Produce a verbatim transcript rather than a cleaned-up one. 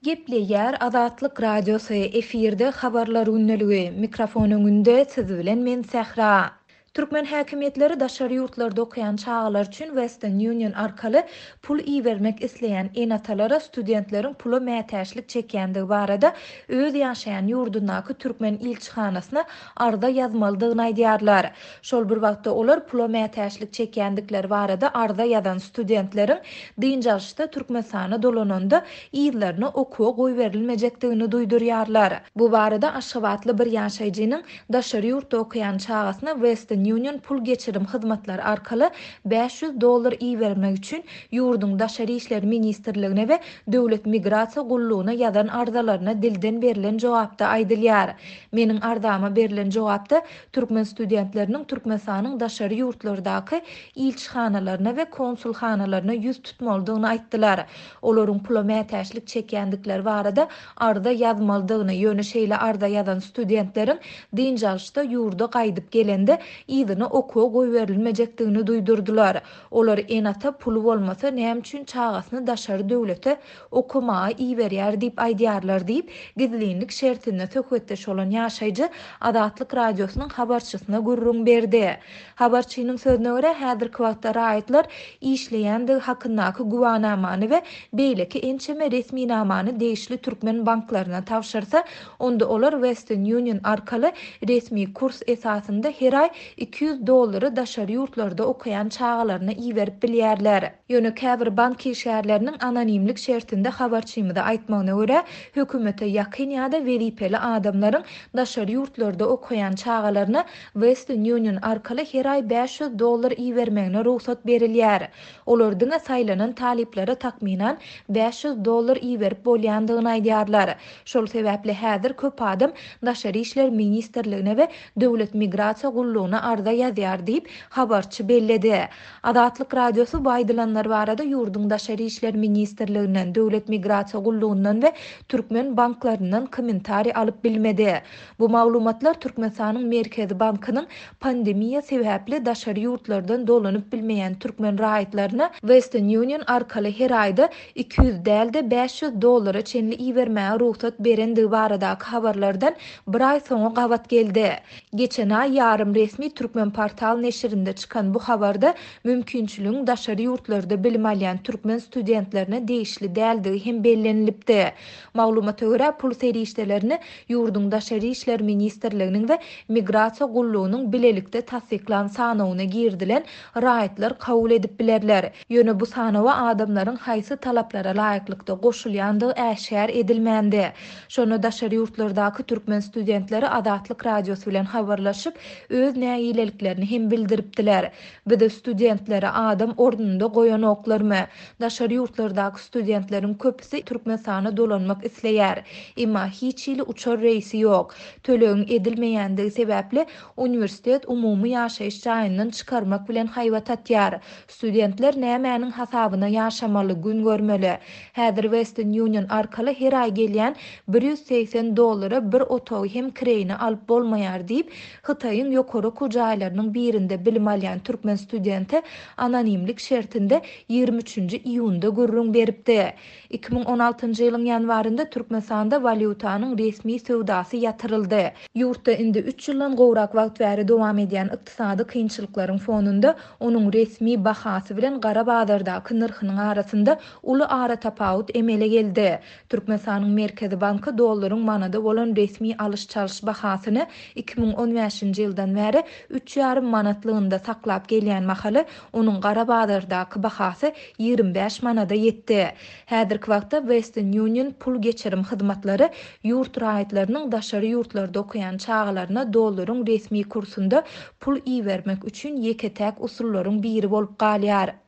Gepleýär Azatlyk Radiosy, efirde Habarlar gündeligi, mikrofon öňünde siz bilen men Sähra. Türkmen häkimiýetleri daşary ýurtlarda okaýan çagalar üçin Western Union arkaly pul ibermek isleýän ene-atalara studentleriň pula mätäçlik çekýändigi barada öz ýaşaýan ýurdundaky türkmen ilçihanasyna arza ýazmalydygyny aýdýarlar. Şol bir wagtda olar pula mätäçlik çekýändikleri barada arza ýazan studentleriň dynç alyşda Türkmenistana dolananda yzlaryna okuwa goýberilmejekdigini duýdurýarlar. Bu barada aşgabatly bir ýaşaýjynyň daşary ýurtda okaýan çagasyna Western Union pul geçirim hyzmatlary arkaly bäş ýüz dollar ibermek üçin ýurduň Daşary işler ministrligine we Döwlet migrasiýa gullugyna ýazan arzalaryna dilden berlen jogapda aýdylýar. Meniň arzama berlen jogapda türkmen studentleriniň Türkmenistanyň daşary ýurtlardaky ilçihanalaryna we konsulhanalaryna ýüz tutmalydygyny aýtdylar. Olaryň pula mätäçlik çekýändikleri barada arza ýazmalydygyny, ýöne şeýle arza ýazan studentleriň dynç alyşda ýurda gaýdyp gelende yzyna okuwa goýberilmejekdigini duýdurdylar. Olar ene-ata puly bolmasa näme üçin çagasyny daşary döwlete okamaga iberýär diýip aýdýarlar diýip, gizlinlik şertinde söhbetdeş bolan ýaşaýjy Azatlyk Radiosynyň habarçysyna gürrüň berdi. Habarçynyň sözüne görä, häzirki wagtda raýatlar işleýändigi hakyndaky güwanamany we beýleki ençeme resminamany degişli türkmen banklaryna tabşyrsa, onda olar Western Union arkaly resmi kurs esasynda her aý iki ýüz dollary daşary ýurtlarda okaýan çagalaryna iberip bilýärler. Ýöne käbir bank işgärleriniň anonimlik şertinde habarçymyza aýtmagyna görä, hökümete ýakyn ýa-da wezipeli adamlaryň daşary ýurtlarda okaýan çagalaryna Western Union arkaly her aý bäş ýüz dollar ibermegine rugsat berilýär. Olar diňe saýlanan talyplara takmynan bäş ýüz dollar iberip bolýandygyny aýdýarlar. Şol sebäpli häzir köp adam Daşary işler ministrligine we Döwlet migrasiýa gullugyna arza ýazýar diýip, habarçy belledi. Azatlyk Radiosy bu aýdylanlar barada ýurduň Daşary işler ministrliginden, Döwlet migrasiýa gullugyndan we türkmen banklaryndan kommentariý alyp bilmedi. Bu maglumatlar Türkmenistanyň Merkezi bankynyň pandemiýa sebäpli daşary ýurtlardan dolanyp bilmeýän türkmen raýatlaryna Western Union arkaly her aýda iki ýüz däl-de bäş ýüz dollara çenli ibermäge rugsat berendigi baradaky habarlardan bir aý soňa gabat geldi. Geçen aý ýarym resmi Türkmen portal neşirinde çykan bu habarda mümkinçiligiň daşary ýurtlarda bilim alýan türkmen studentlerine degişli däldigi hem bellenilipdi. Maglumata görä, pul serişdelerini ýurduň Daşary işler ministrliginiň we Migrasiýa gullugynyň bilelikde tassyklan sanawyna girdilen raýatlar kabul edip bilerler. Ýöne bu sanawa adamlaryň haýsy talaplara laýyklykda goşulýandygy äşgär edilmändi. Şonda daşary ýurtlardaky türkmen studentleri Azatlyk Radiosy bilen habarlaşyp, öz nägileliklerini hem bildiripdiler. Bizi studentlere adam ornunda goýanoklarmy? Daşary ýurtlardaky studentleriň köpüsi Türkmenistana dolanmak isleýär. Emma hiç hili uçar reýsi ýok. Tölegiň edilmeýändigi sebäpli uniwersitet umumy ýaşaýyş jaýyndan çykarmak bilen haýbat atýar. Studentler nämäniň hasabyna ýaşamaly, gün görmeli. Häzir Western Union arkaly her aý gelýän bir ýüz segsen dollara bir otagy hem kireýine alyp bolmaýar diýip, Hytaýyň ýokary okuw jaýlarynyň birinde bilim alýan türkmen studenti anonimlik şertinde ýigrimi üçünji iýunda gürrüň beripdi. iki müň on altynjy ýylyň ýanwarynda Türkmenistanda walýutanyň resmi söwdasy ýatyryldy. Ýurtda indi üç ýyldan gowrak wagt bäri dowam edýän ykdysady kynçylyklaryň fonunda onuň resmi bahasy bilen gara bazardaky nyrhynyň arasynda uly aratapawut emele geldi. Türkmenistanyň Merkezi banky dollaryň manada bolan resmi alyş-çalyş bahasyny iki müň on bäşinji ýyldan bäri üç ýarym manatlygynda saklap gelýän mahaly onuň gara bazardaky bahasy ýigrimi bäş manada ýetdi. Häzirki wagtda Western Union pul geçirim hyzmatlary ýurt raýatlarynyň daşary ýurtlarda okaýan çagalaryna dollaryň resmi kursunda pul ibermek üçin ýeke-täk usullaryň biri bolup galýar.